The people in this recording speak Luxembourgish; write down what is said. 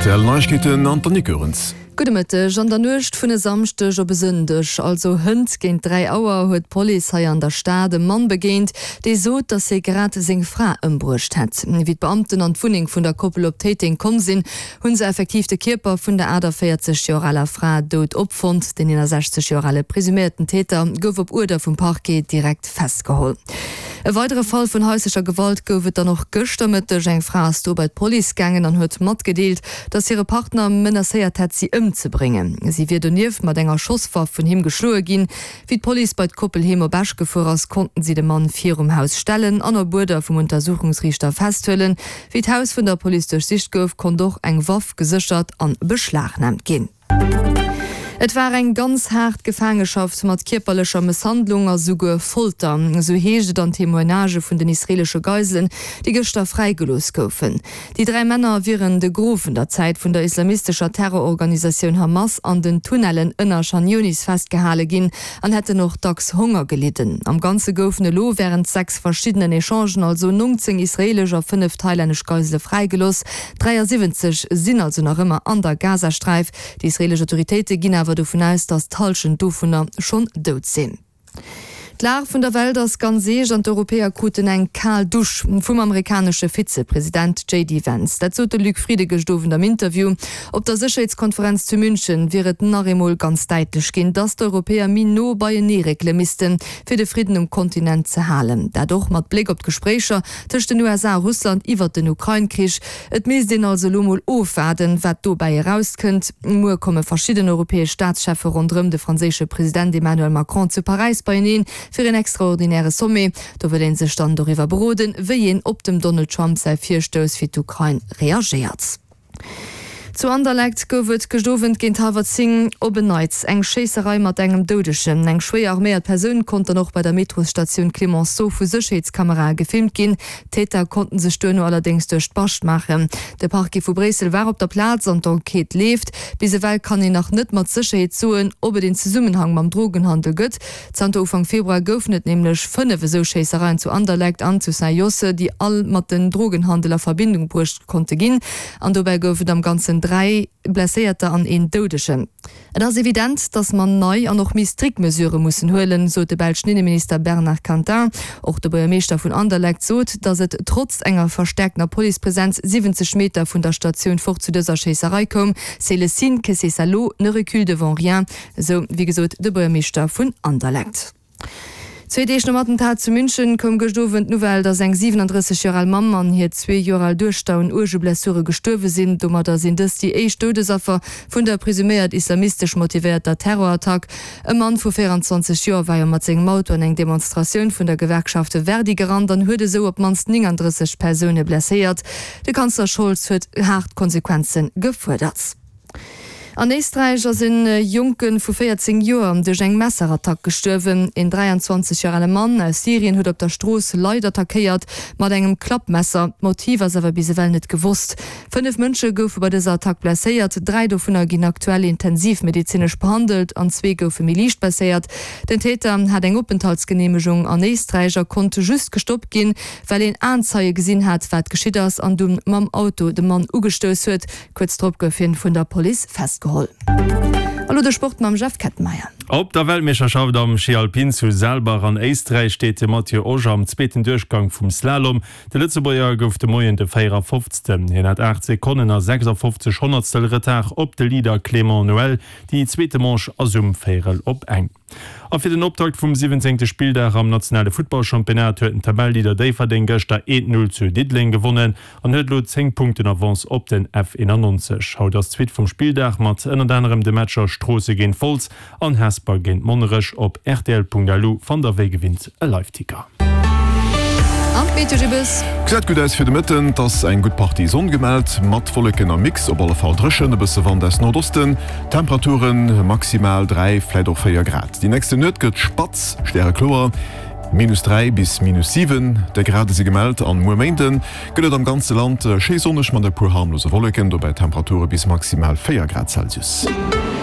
Rtl Neiegkeeten an d'Annick Goerens. Gudde Mëtteg. An der Nuecht vun e Samschdeg op e Sëndeg, also hënt géint 3 Auer, huet d'Police hei an der Stad e Mann begéint, dee sot, datt hie grad seng Fra ëmbruecht hätt. Wéi d'Beamten an d'Wunneng vun der Koppel op Téiteng komm sinn, hu se effektiv de Kierper vun der 48 Joer aler Fra dout opfonnt. Den 61 Joer ale presuméierten Täter gouf op Uerder vum Parquet direkt festgeholl. E weidere Fall vun haislecher Gewalt gouf et dann och gëschter Mëtteg. Eng Fra ass do bei d'Police gaangen an huet matgedeelt, dass hire Partner menacéiert hätt, si ëmzebréngen. Si wier donieft mat enger Schosswaff vun him geschloe ginn. Wéi d'Police bei d'Koppel heem op Esch gefuer ass, konnten si de Mann virum Haus stellen an op Uerder vum Untersuchungsriichter festhuelen. Wéi d'Haus vun der Police duerchsicht gouf, konnt och eng Waff geséchert an beschlagnaamt ginn. Et war eng ganz haart Gefaangeschaft mat kierperlecher Mësshandlung a souguer Folter, esou heescht et an Témoignagë vun den israeelesche Geiselen, déi gëschter fräigelooss goufen. Déi 3 Männer wieren de Gros vun der Zäit vun der islamistescher Terrororganisatioun Hamas an den Tunnellen ënner Chan Younis festgehale ginn an hätten och dacks Honger gelidden. Am Ganze goufen elo wärend 6 verschiddenen Echangen also 19 israeelesch a 5 thailännesch Geisele fräigelooss. 73 sinn also nach ëmmer an der Gazasträif. Déi israeelesch Autoritéite ginn awer dovun aus, datt d'Hallschent dovunner schonn dout sinn. D'Lag vun der Welt ass ganz eescht an d'Europäer kruten eng kal Dusch vum amerikanesche Vizepresident JD Vance. Dat sot de Luc Frieden gëscht Owend am Interview. Op der Sécherheetskonferenz zu München wier et nach eemol ganz däitlech ginn, datt d'Europäer méi no beienee réckele missten, fir de Fridden um Kontinent ze halen. Dat och mat Bléck op d'Gespréicher tëscht den USA a Russland iwwert den Ukrain-Krich. Et misst een also elo mol ofwaarden, wat dobäi erauskënnt. Muer komme verschidden europäesch Staatscheffe ronderëm de franséische President Emmanuel Macron zu Paräis beieneen fir een extraordinäre Sommet. Do wëll ee sech dann doriwwer beroden, wéi een op dem Donald Trump säi Virstouss fir d'Ukrain reagéiert. Zu Anderlecht gouf et gëscht Owend géint hallwer 10 op en Neits eng Schéisserei mat engem Doudegen. Eng schwéier arméiert Persoun konnt dann och bei der Metrosstatioun Clemenceau vu Sécherheetskamerae gefilmt ginn. D'Täter konnten sech duerno allerdéngs duerch d'Bascht maachen. De Parquet vu Bréissel war op der Plaz an d'Enquête leeft. Bis ewell kann een nach net mat Sécherheet soen, ob et een Zesummenhang mam Drogenhandel gëtt. Zanter Ufank Februar goufen et nämlech 5 esou Schéissereien zu Anderlecht an zu Saint-Josse, déi all mat den Drogenhandel a Verbindung bruecht konnte ginn. An dobäi gouf et am Ganzen 3 Blesséierter an een Doudegen. Et ass evident, datt mer nei an och méi strikt Mesurë mussen huelen, sot de belschen Inneminister Bernard Quintin. Och de Buergermeeschter vun Anderlecht sot, datt et trotz enger verstäerktener Policepresenz 70 Meter vun der Statioun fort zu dëser Schéisserei koum. C'est le signe que ces salauds ne reculent devant rien, esou wéi gesot de Buergermeeschter vun Anderlecht. Zwee Deeg nom Attentat zu München koum gëscht Owend d'Nouvelle, datt eng 37 Joer al Mamm an hir zwee Joer al Duechter un uerge Blessure gestuerwe sinn. Domadder sinn dës déi éischt Doudesaffer vun der presuméiert islamistesch motivéierter Terrorattack. E Mann vu 24 Joer war jo mat sengem Auto an eng Demonstratioun vun der Gewerkschaft Verdi gerannt an huet esou op d'mannst 39 Persoune blesséiert. De Kanzler Scholz huet haart Konsequenze gefuerdert. An Éisträich ass e Jonke vu 14 Joer duerch eng Messerattack gestuerwen. Een 23 Joer ale Mann aus Syrien huet op der Strooss Leit attackéiert mat engem Klappmesser. D'Motiv ass awer bis ewell net gewosst. 5 Mënsche goufe bei dëser Attack blesséiert, 3 dovunner ginn aktuell intensivmedezinesch behandelt an zwee goufe méi liicht blesséiert. Den Täter hat eng Openthaltsgeneemegung an Éisträich a konnt just gestoppt ginn, well een Aenzeie gesinn hat, wat geschitt ass an dunn mam Auto de Mann ugestouss huet. Kuerz drop gouf hien vun der Police festgeholl. A lo de Sport mam Jeff Kettenmeyer. Op der Weltmeeschterschaft am Schi Alpin zu Saalbach an Éisträich steet de Matthieu Osch am zweeten Duerchgang vum Slalom. De Lëtzebuerger gouf de Moien de 54. Hien hat 8 Sekonnen a 56 Honnertstel Retard op de Leader Clément Noël. Déi zweete Manche ass um véierel op eng. A fir den Optakt vum siwwenzéngte Spilldag am nationale Futtballchampionnat huet den Tabelleleader Déifferdeng gëschter 1, 0 zu Diddeleng gewonnen an huet elo 10 Punkten Avance op den F91. Haut ass d'Suite vum Spilldag mat ënnert anerem de Matcher Stroosse géint Wolz an Hesper géint Monnerech. Op rtl.lu fannt der wéi gewinnt e Liveticker. An d'Meteo Gibbes. Gesäit gutt aus fir de Mëtten, 't ass eng gutt Partie Sonn gemellt, mat Wolleken am Mix, op alle Fall dréchen, e bësse Wand aus Nordosten. Temperaturen, maximal 3, vläit och 4 Grad. Déi nächste Nuet gëtt spatz, stärekloer, minus 3 bis minus 7 de Grade si gemellt. An muer Méinde gëtt et am ganze Land schéi sonneg mat e puer harmlose Wolleken, dobäi Temperature bis maximal 4 Grad Celsius.